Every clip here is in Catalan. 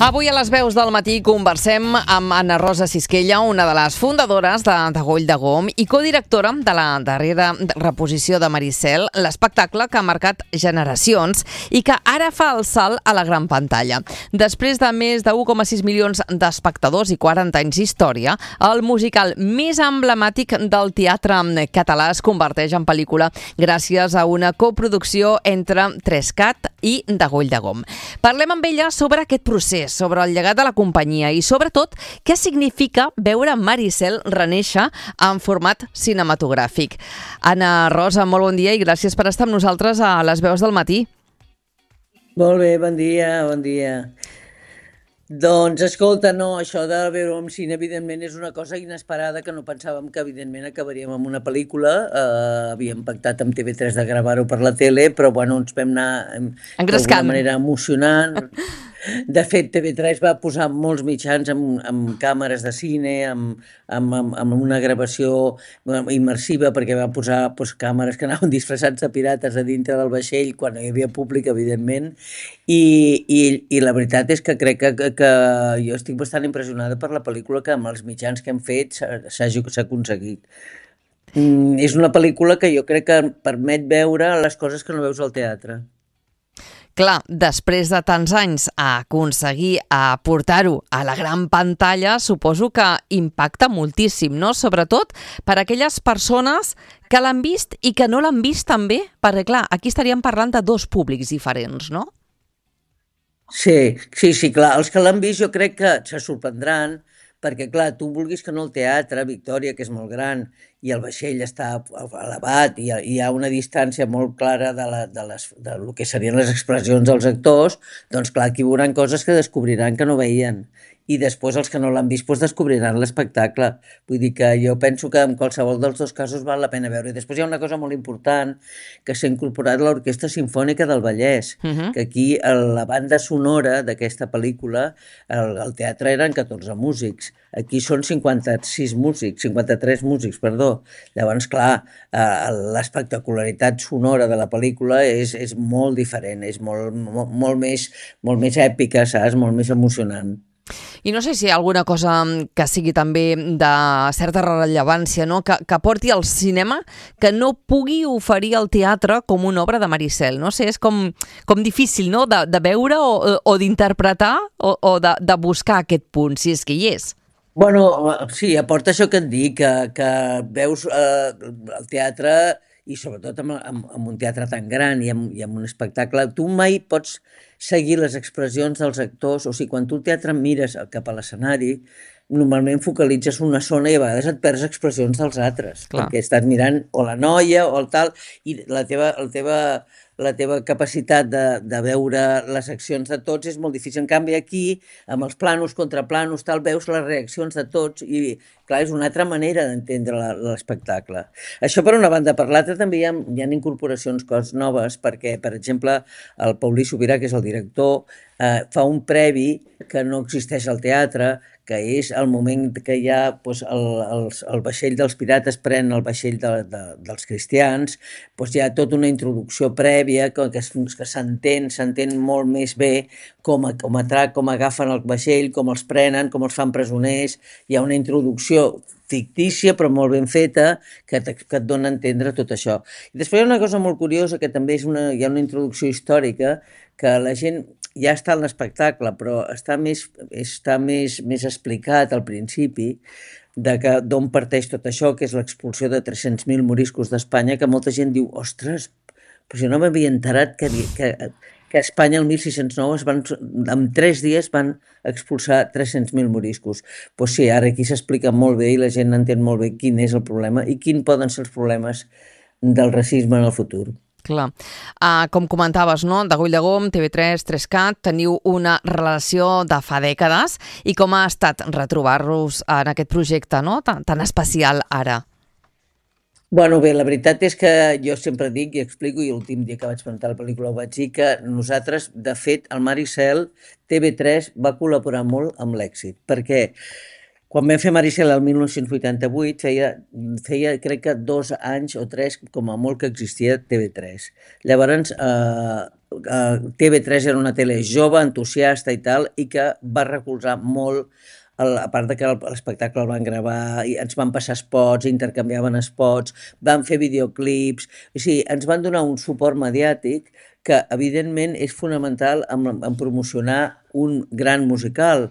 Avui a les veus del matí conversem amb Anna Rosa Sisquella, una de les fundadores de Goll de Gom i codirectora de la darrera reposició de Maricel, l'espectacle que ha marcat generacions i que ara fa el salt a la gran pantalla. Després de més de 1,6 milions d'espectadors i 40 anys d'història, el musical més emblemàtic del teatre català es converteix en pel·lícula gràcies a una coproducció entre 3CAT i de Goll de Gom. Parlem amb ella sobre aquest procés, sobre el llegat de la companyia i, sobretot, què significa veure Maricel renéixer en format cinematogràfic. Anna Rosa, molt bon dia i gràcies per estar amb nosaltres a les veus del matí. Molt bé, bon dia, bon dia. Doncs, escolta, no, això de veure en cine, evidentment, és una cosa inesperada que no pensàvem que, evidentment, acabaríem amb una pel·lícula. Havíem pactat amb TV3 de gravar-ho per la tele, però, bueno, ens vam anar d'alguna manera emocionant. De fet, TV3 va posar molts mitjans amb càmeres de cine, amb una gravació immersiva, perquè va posar càmeres que anaven disfressats de pirates a dintre del vaixell, quan no hi havia públic, evidentment, i la veritat és que crec que jo estic bastant impressionada per la pel·lícula que amb els mitjans que hem fet s'ha aconseguit. És una pel·lícula que jo crec que permet veure les coses que no veus al teatre. Clar, després de tants anys aconseguir portar-ho a la gran pantalla, suposo que impacta moltíssim, no? Sobretot per a aquelles persones que l'han vist i que no l'han vist també, perquè clar, aquí estaríem parlant de dos públics diferents, no? Sí, clar. Els que l'han vist jo crec que se sorprendran, perquè, clar, tu vulguis que no el teatre, Victòria, que és molt gran, i el vaixell està elevat, i hi ha una distància molt clara de lo que serien les expressions dels actors, doncs, clar, aquí veuran coses que descobriran que no veien. I després els que no l'han vist descobriran l'espectacle. Vull dir que jo penso que en qualsevol dels dos casos val la pena veure. I després hi ha una cosa molt important, que s'ha incorporat l'Orquestra Simfònica del Vallès, que aquí la banda sonora d'aquesta pel·lícula, al teatre eren 14 músics, aquí són 53 músics, perdó. Llavors, clar, l'espectacularitat sonora de la pel·lícula és molt diferent, és molt més èpica, saps? Molt més emocionant. I no sé si hi ha alguna cosa que sigui també de certa rellevància, no? que porti al cinema que no pugui oferir al teatre com una obra de Maricel. No sé, és com difícil, no? de veure o d'interpretar o de buscar aquest punt, si és que hi és. Bueno, sí, aporta això que et dic, que veus el teatre, i sobretot amb un teatre tan gran i amb un espectacle, tu mai pots seguir les expressions dels actors, o sigui, quan tu al teatre mires cap a l'escenari, normalment focalitzes una zona i a vegades et perds expressions dels altres, perquè estàs mirant o la noia o el tal, i la teva capacitat de veure les accions de tots és molt difícil. En canvi, aquí, amb els planos, contraplanos, tal, veus les reaccions de tots i, clar, és una altra manera d'entendre l'espectacle. Això per una banda. Per l'altra també hi ha incorporacions, coses noves, perquè, per exemple, el Paulí Sobirà, que és el director, fa un previ que no existeix al teatre, que és el moment que hi ha el vaixell dels pirates pren el vaixell dels cristians, hi ha tota una introducció prèvia que s'entén molt més bé com agafen el vaixell, com els prenen, com els fan presoners. Hi ha una introducció fictícia però molt ben feta que et dona a entendre tot això. I després hi ha una cosa molt curiosa, que també hi ha una introducció històrica que la gent ja està en l'espectacle, però està més explicat al principi d'on parteix tot això, que és l'expulsió de 300.000 moriscos d'Espanya, que molta gent diu, ostres, però si no m'havia enterat que a Espanya el 1609 en 3 dies van expulsar 300.000 moriscos. Doncs sí, ara aquí s'explica molt bé i la gent entén molt bé quin és el problema i quins poden ser els problemes del racisme en el futur. Clar. Com comentaves, no? De Goll de Gom, TV3, 3CAT, teniu una relació de fa dècades i com ha estat retrobar-vos en aquest projecte, no? tan especial ara? Bueno, bé, la veritat és que jo sempre dic i explico, i l'últim dia que vaig presentar la pel·lícula ho vaig dir, que nosaltres, de fet, el Maricel, TV3 va col·laborar molt amb l'èxit, perquè Quan vam fer Maricel el 1988 feia crec que 2 anys o 3 com a molt que existia TV3. Llavors TV3 era una tele jove, entusiasta i tal, i que va recolzar molt a part de que l'espectacle el van gravar, i ens van passar spots, intercanviaven spots, van fer videoclips, o sigui, ens van donar un suport mediàtic que evidentment és fonamental en promocionar un gran musical.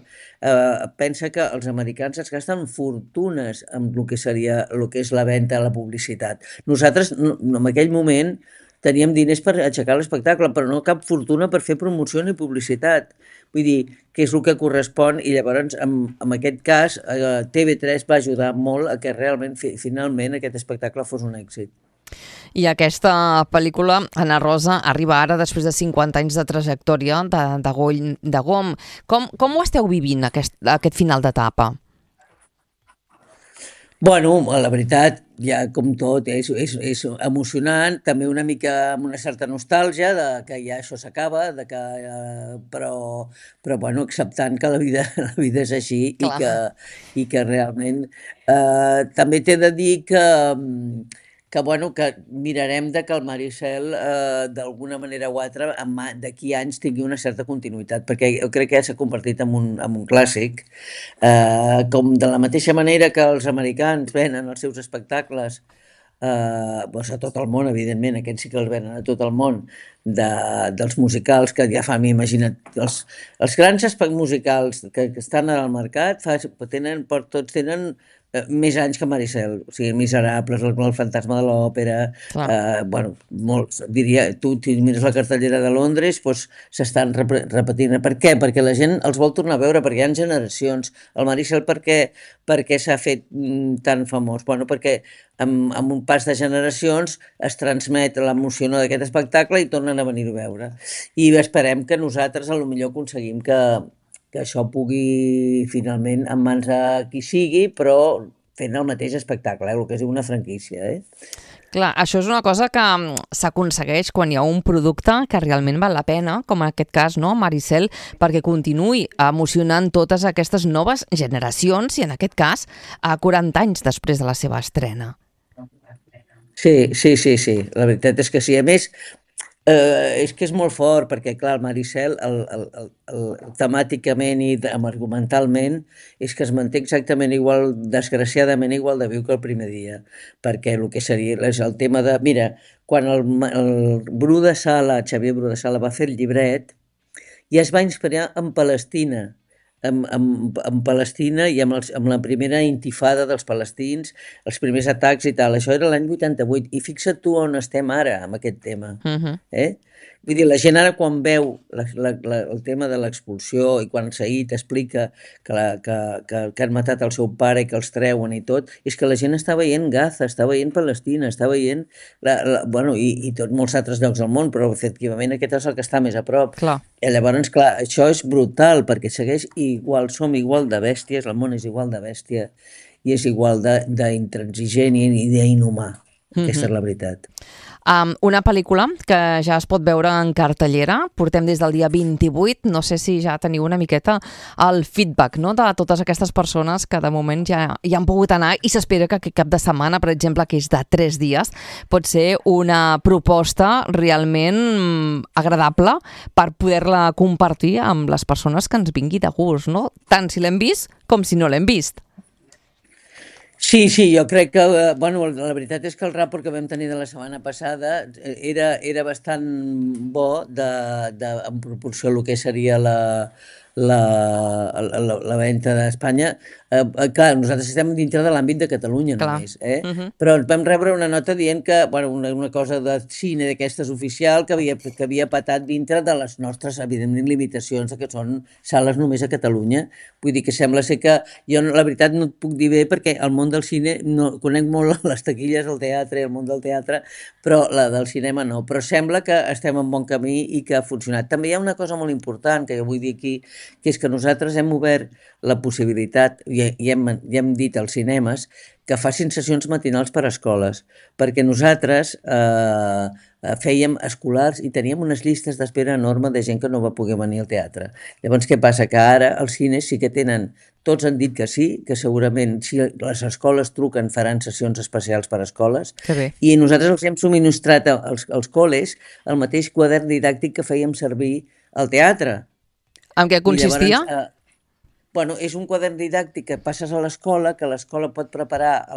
Pensa que els americans es gasten fortunes en el que és la venda, la publicitat. Nosaltres, en aquell moment, teníem diners per aixecar l'espectacle, però no cap fortuna per fer promoció ni publicitat. Vull dir, que és el que correspon, i llavors, en aquest cas, TV3 va ajudar molt a que realment, finalment, aquest espectacle fos un èxit. I aquesta pel·lícula, Ana Rosa, arriba ara després de 50 anys de trajectòria de Goll de Gom. Com ho esteu vivint, aquest final d'etapa? Bueno, la veritat, ja com tot, és emocionant, també una mica amb una certa nostàlgia de que ja això s'acaba, però bueno, acceptant que la vida és així i que realment també t'he de dir que mirarem que el Maricel d'alguna manera o altra d'aquí a anys tingui una certa continuïtat, perquè jo crec que ja s'ha convertit en un clàssic, com de la mateixa manera que els americans venen els seus espectacles a tot el món, evidentment, aquests sí que els venen a tot el món, dels musicals que ja fa, imagina't, els grans musicals que estan al mercat tots tenen més anys que Maricel, o sigui, Miserables, el Fantasma de l'Òpera, molts, diria, tu mires la cartellera de Londres, doncs s'estan repetint. Per què? Perquè la gent els vol tornar a veure, perquè hi ha generacions. El Maricel per què s'ha fet tan famós? Bueno, perquè amb un pas de generacions es transmet l'emoció d'aquest espectacle i tornen a venir a veure. I esperem que nosaltres potser aconseguim que això pugui finalment en mans de qui sigui, però fent el mateix espectacle, el que és una franquícia. Clar, això és una cosa que s'aconsegueix quan hi ha un producte que realment val la pena, com en aquest cas, no, Maricel, perquè continuï emocionant totes aquestes noves generacions i en aquest cas a 40 anys després de la seva estrena. Sí, la veritat és que sí. A més, és que és molt fort, perquè clar, el Maricel temàticament i argumentalment és que es manté exactament igual, desgraciadament igual de viu que el primer dia, perquè el que seria és el tema de... Mira, quan el Bru de Sala, Xavier Bru de Sala, va fer el llibret, ja es va inspirar en Palestina, en Palestina i amb la primera intifada dels palestins, els primers atacs i tal. Això era l'any 88 i fixa't tu on estem ara amb aquest tema. Vull dir, la gent ara quan veu el tema de l'expulsió i quan Said explica que han matat el seu pare i que els treuen i tot, és que la gent està veient Gaza, està veient Palestina, està veient i tots molts altres llocs del món, però efectivament aquest és el que està més a prop. Clar. I llavors, clar, això és brutal perquè segueix igual, som igual de bèsties, el món és igual de bèstia i és igual d'intransigent i d'inhumà. Aquesta és la veritat. Una pel·lícula que ja es pot veure en cartellera, portem des del dia 28, no sé si ja teniu una miqueta el feedback, no?, de totes aquestes persones que de moment ja han pogut anar i s'espera que aquest cap de setmana, per exemple, que és de 3 dies, pot ser una proposta realment agradable per poder-la compartir amb les persones que ens vingui de gust, no?, tant si l'hem vist com si no l'hem vist. Sí, jo crec que, la veritat és que el rapport que vam tenir de la setmana passada era bastant bo en proporció al que seria la venda d'Espanya. Clar, nosaltres estem dintre de l'àmbit de Catalunya només, però vam rebre una nota dient que, una cosa de cine d'aquestes oficial que havia patat dintre de les nostres, evidentment, limitacions que són sales només a Catalunya. Vull dir que sembla ser que jo la veritat no et puc dir bé perquè el món del cine, conec molt les taquilles del teatre i el món del teatre, però la del cinema no. Però sembla que estem en bon camí i que ha funcionat. També hi ha una cosa molt important que jo vull dir aquí, que és que nosaltres hem obert la possibilitat, i hem dit als cinemes, que facin sessions matinals per a escoles, perquè nosaltres fèiem escolars i teníem unes llistes d'espera enorme de gent que no va poder venir al teatre. Llavors, què passa? Que ara els cines sí que tenen, tots han dit que sí, que segurament si les escoles truquen faran sessions especials per a escoles, i nosaltres els hem subministrat als col·les el mateix quadern didàctic que fèiem servir al teatre. En què consistia? Bueno, és un quadern didàctic que passes a l'escola, que l'escola pot preparar,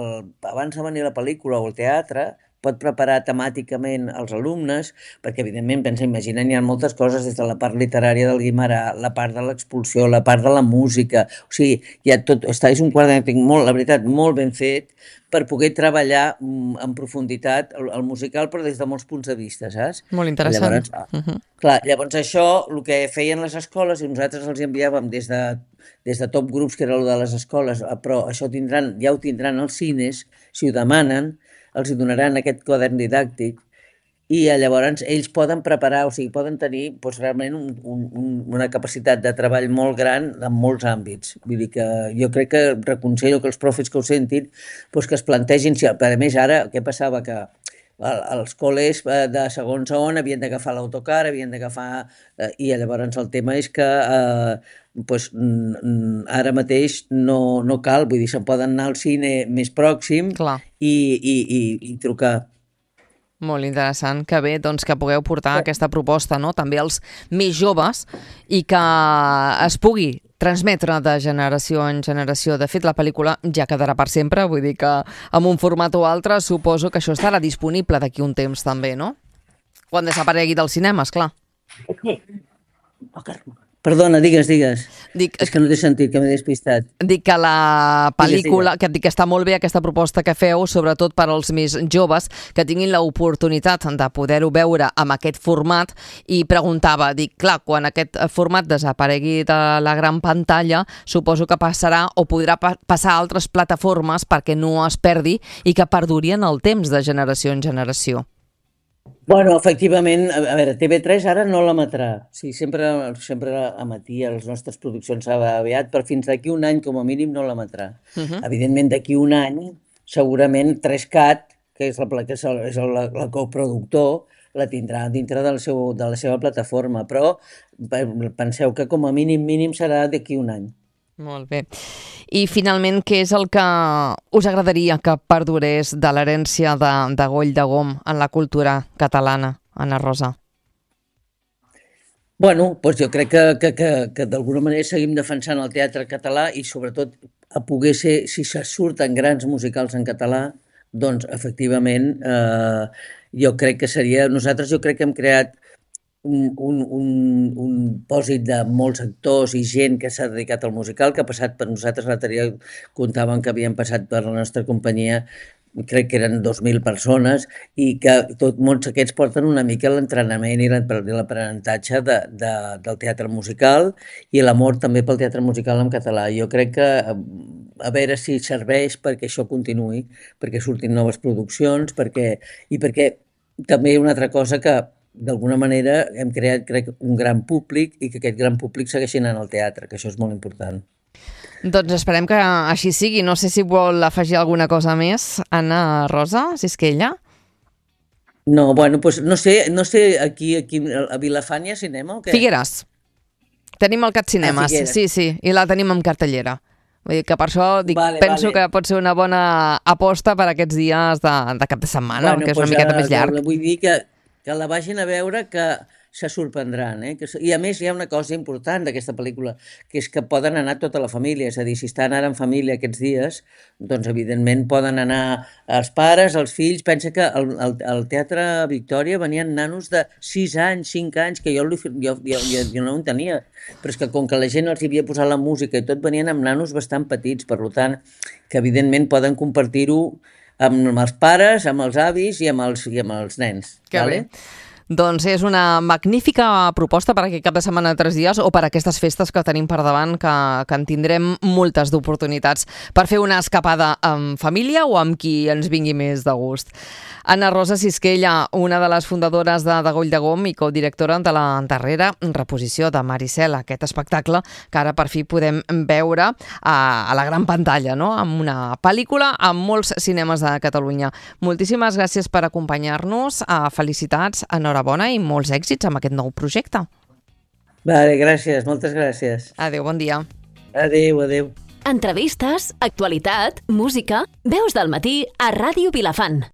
abans de venir a la pel·lícula o al teatre, pot preparar temàticament els alumnes, perquè evidentment, imaginen, hi ha moltes coses, des de la part literària del Guimarà, la part de l'expulsió, la part de la música, o sigui, hi ha tot, és un quadern didàctic la veritat, molt ben fet, per poder treballar en profunditat el musical, però des de molts punts de vista, saps? Molt interessant. Llavors, clar, llavors això, el que feien les escoles, i nosaltres els enviàvem des de Top Groups, que era el de les escoles, però això ja ho tindran els cines, si ho demanen, els donaran aquest quadern didàctic, i llavors ells poden preparar, o sigui, poden tenir realment una capacitat de treball molt gran en molts àmbits. Vull dir que jo crec que reconsello que els profes que ho sentin que es plantegin, a més ara, què passava? Que els col·les de segon havien d'agafar l'autocar, i llavors el tema és que ara mateix no cal, vull dir, se'n poden anar al cine més pròxim i trucar. Molt interessant, que bé doncs, que pugueu portar aquesta proposta, no? També als més joves, i que es pugui transmetre de generació en generació. De fet, la pel·lícula ja quedarà per sempre, vull dir que amb un format o altre suposo que això estarà disponible d'aquí un temps també, no? Quan desaparegui dels cinemes, clar. Perdona, digues. És que no t'he sentit, que m'he despistat. Dic que la pel·lícula, que dic que està molt bé aquesta proposta que feu, sobretot per als més joves, que tinguin l'oportunitat de poder-ho veure amb aquest format, i preguntava, dic, clar, quan aquest format desaparegui de la gran pantalla, suposo que passarà o podrà passar a altres plataformes perquè no es perdi i que perduri en el temps de generació en generació. Bueno, efectivament, a veure, TV3 ara no l'emetrà. Sí, sempre emetia les nostres produccions aviat, però fins d'aquí un any, com a mínim, no l'emetrà. Evidentment, d'aquí un any, segurament 3Cat, que és la coproductor, la tindrà dintre de la seva plataforma, però penseu que com a mínim serà d'aquí un any. Molt bé. I finalment, què és el que us agradaria que perdurés de l'herència de Goll de Gom en la cultura catalana, Anna Rosa? Bueno, doncs jo crec que d'alguna manera seguim defensant el teatre català i sobretot a poder ser, si se surten grans musicals en català, doncs efectivament jo crec que seria... Nosaltres jo crec que hem creat un pòsit de molts actors i gent que s'ha dedicat al musical, que ha passat per nosaltres, l'altre dia comptàvem que havien passat per la nostra companyia, crec que eren 2.000 persones, i que molts aquests porten una mica l'entrenament i l'aprenentatge del teatre musical i l'amor també pel teatre musical en català. Jo crec que a veure si serveix perquè això continuï, perquè surtin noves produccions, i perquè també una altra cosa que d'alguna manera hem creat, crec, un gran públic i que aquest gran públic segueixi anant al teatre, que això és molt important. Doncs esperem que així sigui. No sé si vol afegir alguna cosa més, Anna Rosa Sisquella. No, bueno, doncs no sé aquí a Vilafant hi ha cinema o què? Figueres. Tenim el Cat Cinemes, sí, i la tenim en cartellera. Vull dir que per això penso que pot ser una bona aposta per aquests dies de cap de setmana, que és una miqueta més llarg. Vull dir que la vagin a veure, que se sorprendran. I a més hi ha una cosa important d'aquesta pel·lícula, que és que poden anar tota la família, és a dir, si estan ara en família aquests dies, doncs evidentment poden anar els pares, els fills. Pensa que al Teatre Victòria venien nanos de 6 anys, 5 anys, que jo no en tenia, però és que com que la gent els havia posat la música i tot, venien amb nanos bastant petits, per tant, que evidentment poden compartir-ho amb els pares, amb els avis i amb els nens. Que bé. Doncs és una magnífica proposta per aquest cap de setmana de 3 dies o per aquestes festes que tenim per davant, que en tindrem moltes d'oportunitats per fer una escapada amb família o amb qui ens vingui més de gust. Anna Rosa Sisquella, una de les fundadores de Goll de Gom i codirectora de la darrera reposició de Maricel, aquest espectacle que ara per fi podem veure a la gran pantalla, no? Amb una pel·lícula amb molts cinemes de Catalunya. Moltíssimes gràcies per acompanyar-nos, felicitats, enhorabona i molts èxits amb aquest nou projecte. Vale, gràcies, moltes gràcies. Adéu, bon dia. Adéu, adéu. Entrevistes, actualitat, música, veus del matí a Ràdio Vilafant.